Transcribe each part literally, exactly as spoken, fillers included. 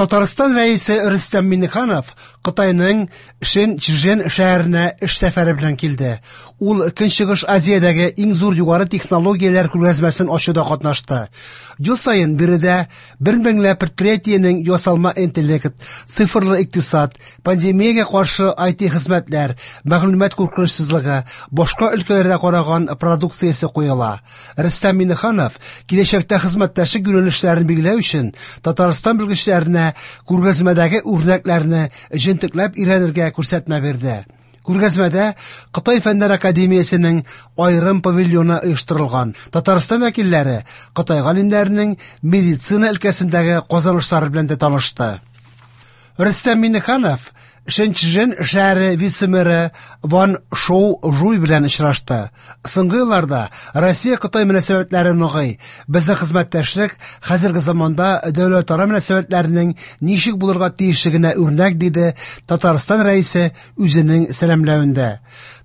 Татарстан Рәисе Рөстәм Миңнеханов Кытайның Шэньчжэн шәһәренә эш сәфәре белән килде. Ул Көнчыгыш Азиядәге иң зур югары технологияләр күргәзмәсен ачуда катнашты. Ел саен биредә бер меңләп предприятиенең ясалма интеллект, цифрлы икътисад, пандемиягә каршы ай ти хезмәтләр, мәгълүмат куркынычсызлыгы, башка өлкәләргә караган продукциясе куела. Рөстәм Миңнеханов киләчәктә хезмәттәшлек юнәлешләрен билгеләү өчен Татарстан белгечләренә күргәзмәдәге үрнәкләрне җентекләп өйрәнергә күрсәтмә бирде. Күргәзмәдә Кытай Фәннәр Академиясенең аерым павильоны оештырылган. Татарстан вәкилләре Кытай галимнәренең медицина өлкәсендәге казанышлары белән дә танышты. Рөстәм Миңнеханов Шэньчжэн шәһәре вице-мэры Ван Шоу Жуй белән очрашты. Соңгы елларда Россия-Кытай мөнәсәбәтләре ныгый. Безнең хезмәттәшлек хәзерге заманда дәүләтара мөнәсәбәтләрнең ничек булырга тиешлегенә үрнәк, диде Татарстан Рәисе үзенең сәламләвендә.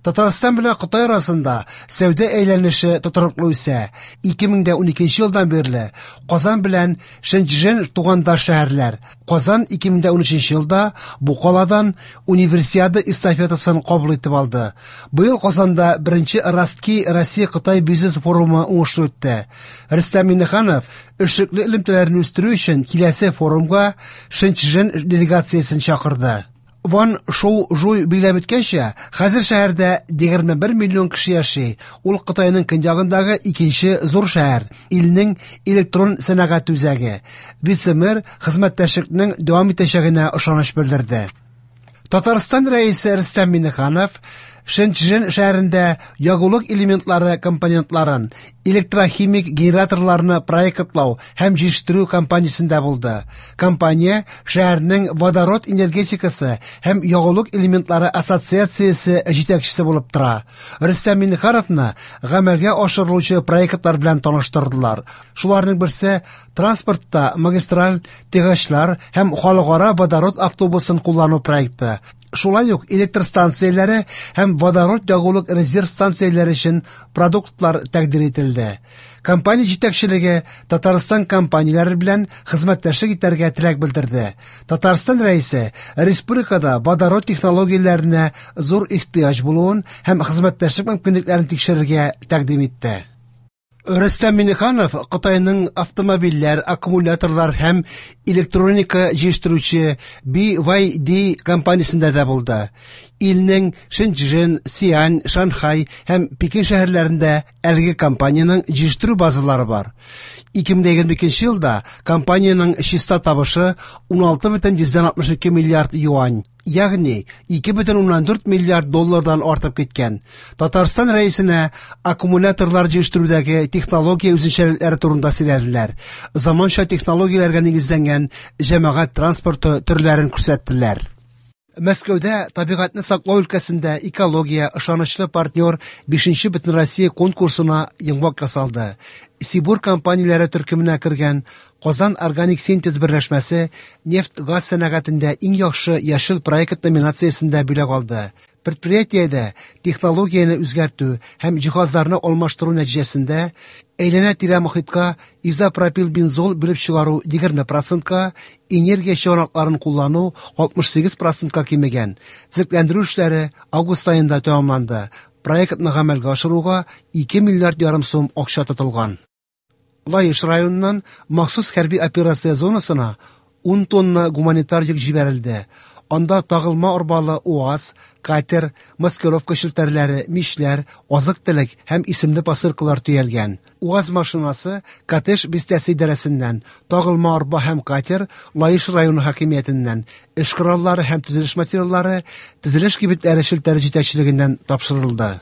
Татарстан белән Кытай арасында сәүдә әйләнеше тотрыклы үсә. ике мең дә уникенче елдан бирле Казан белән Шэньчжэн тугандаш шәһәрләр. Казан ике мең дә унөченче елда бу каладан Универсиада эстафетасын кабул итеп алды. Быел Казанда беренче Ростки Россия-Кытай бизнес форумы уңышлы үтте. Рөстәм Миңнеханов эшлекле элемтәләрне үстерү өчен киләсе форумга Шэньчжэн делегациясен чакырды. Ван Шоу Жуй билгеләп үткәнчә, хәзер шәһәрдә егерме бер миллион кеше яши. Ул Кытайның көньягындагы икенче зур шәһәр, илнең электрон сәнәгать үзәге. Вице-мэр хезмәттәшлекнең дәвам итәчәгенә ышаныч белдерде. Татарстан Рәисе Рөстәм Миңнеханов Шэньчжэн шәһәрендә ягулык элементлары компонентларын, электрохимик генераторларны проектлау һәм җитештерү компаниясендә булды. Компания шәһәрнең водород энергетикасы һәм ягулык элементлары ассоциациясе җитәкчесе булып тора. Рөстәм Миңнехановны гамәлгә ашырылучы проектлар белән таныштырдылар. Шуларның берсе транспортта магистраль тягачлар һәм халыкара водород автобусын куллану проекты. Шулай ук электр станцияләре һәм водород ягулык резерв станцияләре өчен продуктлар тәкъдир ителде. Компания җитәкчелеге Татарстан компанияләре белән хезмәттәшлек итәргә теләк белдерде. Татарстан Рәисе республикада водород технологияләренә зур ихтыяҗ булуын һәм хезмәттәшлек мөмкинлекләрен тикшерергә тәкъдим итте. Рөстәм Миңнеханов Кытайның автомобильләр, аккумуляторлар һәм электроника җитештерүче би вай ди компаниясендә дә булды. Илнең Шэньчжэн, Сиань, Шанхай һәм Пекин шәһәрләрендә әлеге компаниянең җитештерү базалары бар. ике мең егерме икенче елда компаниянең чиста табышы уналты бөтен йөздән алтмыш ике миллиард юань, ягъни ике бөтен уннан дүрт миллиард доллардан артып киткән. Татарстан Рәисенә аккумуляторлар җитештерүдәге технология үзенчәлекләре турында сөйләделәр. Заманча технологияләргә нигезләнгән җәмәгать транспорты төрләрен күрсәттеләр. Мәскәүдә табигатьне саклау өлкәсендә экология ышанычлы партнер бишенче Бөтенроссия конкурсына йомгак ясалды. Сибур компанияләре төркеменә кергән Казан Органик Синтез берләшмәсе нефть-газ сәнәгатендә иң яхшы яшел проект номинациясендә бүләк алды. Предприятиедә технологияне үзгәртү һәм җиһазларны алмаштыру нәтиҗәсендә әйләнә-тирә мохиткә изопропилбензол бүлеп чыгару егерме процентка, энергия чыганакларын куллану алтмыш сигез процентка кимегән. Төзекләндерү эшләре август аенда тәмамланды. Проектны гамәлгә ашыруга ике миллиард ярым сум акча тотылган. Лаеш районыннан махсус хәрби операция зонасына ун тонна гуманитар йөк җибәрелде. Анда тагылма арбалы УАЗ, катер, маскировка челтәрләре, мишләр, азык-төлек һәм исемле посылкалар төялгән. УАЗ машинасы Катеш бистәсе идарәсеннән, тагылма арба һәм катер Лаеш районы хакимиятеннән, эш кораллары һәм төзелеш материаллары төзелеш кибетләре челтәре җитәкчелегеннән тапшырылды.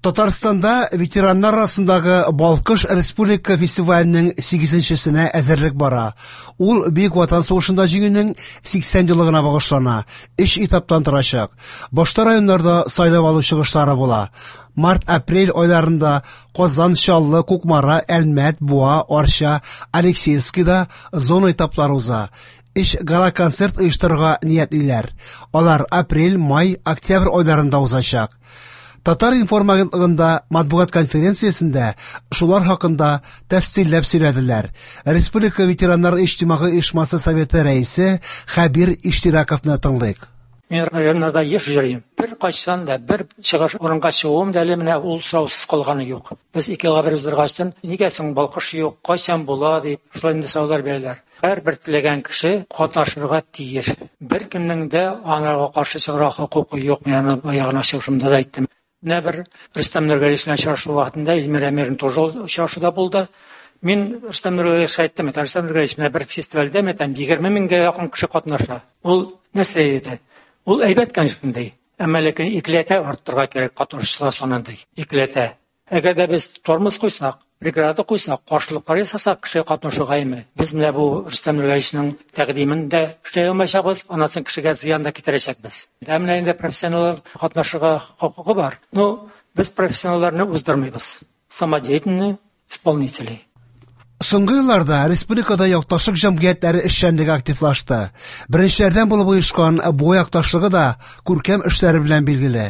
Татарстанда ветераннар арасындагы Балкыш республика фестиваленең сигезенчесенә әзерлек бара. Ул Бөек Ватан сугышында җиңүнең сиксән еллыгына багышлана. Өч этаптан торачак. Башта районнарда сайлап алу чыгышлары була. Март-апрель айларында Казан, Чаллы, Кукмара, Әлмәт, Буа, Арча, Алексеевскийда зона этаплары уза. Өч гала-концерт оештырырга ниятлиләр. Алар апрель, май, октябрь айларында узачак. Татар-информ агентлыгында матбугат конференциясендә шулар хакында тәфсилләп сөйләделәр. Республика ветераннар иҗтимагый оешмасы советы рәисе Хәбир Иштираковны тыңлыйк. Мин районнарда еш йөрим. Бер кайчан да бер чыгыш урынга чыгуым да әле менә ул сораусыз калганы юк. Без ике елга бер уздыргачтын, нигә соң Балкыш юк, кайчан була дип, шулай инде сораулар бирәләр. Һәрбер теләгән кеше катнашырга тиеш. Беркемнең дә аңарга каршы чыгарга хокукы юк. Мин аны баягы чыгышымда да әйттем. Менә бер Рөстәм Нургалиевич белән очрашу вакытында Эльмира Әмирин тоже очрашуда булды. Мин Рөстәм Нургалиевичка әйттем, Рөстәм Нургалиевич, менә бер фестивальдә мәтәм егерме меңгә якын кеше катнаша. Ул нәрсә диде? Ул әйбәт, конечно, ди. Әмма ләкин икеләтә арттырырга кирәк катнашучылар санын, ди. Икеләтә. Әгәр дә без тормоз куйсак, преграда куйсак, каршылыклар ясасак кеше катнашуга име, без менә бу Рөстәм Нургалиевичның тәкъдимен дә эшләй алмаячакбыз, аннан соң кешегә зыян да китерәчәкбез. Ә менә инде профессионаллар катнашырга хокукы бар. Ну, без профессионалларны уздырмыйбыз. Самодеятельные исполнители. Соңгы елларда республикада якташлык җәмгыятьләре эшчәнлеге активлашты. Беренчеләрдән булып оешкан Буа якташлыгы да күркәм эшләре белән билгеле.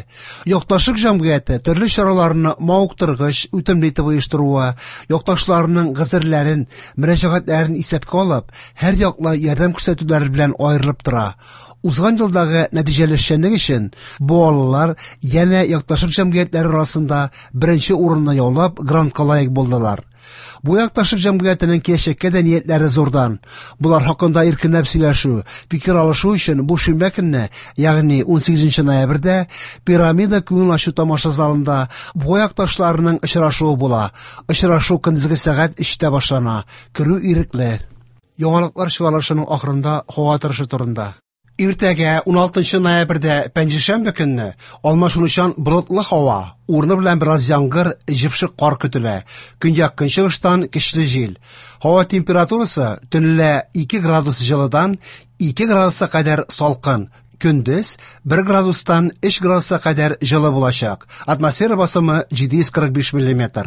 Якташлык җәмгыяте төрле чараларны мавыктыргыч, үтемле итеп оештыруы, якташларының гозерләрен, мөрәҗәгатьләрен исәпкә алып, һәр яклы ярдәм күрсәтүләре белән аерылып тора. Узган елдагы нәтиҗәле эшчәнлек өчен буалылар янә якташлык җәмгыятьләре арасында беренче урынны яулап, грантка лаек булдылар. Бу якташлык җәмгыятенең киләчәккә дә ниятләре зурдан. Булар хакында иркенләп сөйләшү, фикер алышу өчен бу шимбә көнне, ягъни унсигезенче ноябрьдә Пирамида күңел ачу тамаша залында бу якташларының очрашуы була. Очрашу көндезге сәгать өчтә башлана. Керү ирекле. Яңалыклар чыгарылышының ахырында һава торышы турында. Иртәгә уналтынчы ноябрьдә пәнҗешәмбе көнне алмашынучан болытлы һава, урыны белән бераз яңгыр, җепшек кар көтелә. Көньяк-көнчыгыштан көчле җил. Һава температурасы төнлә ике градус җылыдан ике градуска кадәр салкын, көндез бер градустан өч градуска кадәр җылы булачак. Атмосфера басымы җиде йөз кырык биш миллиметр.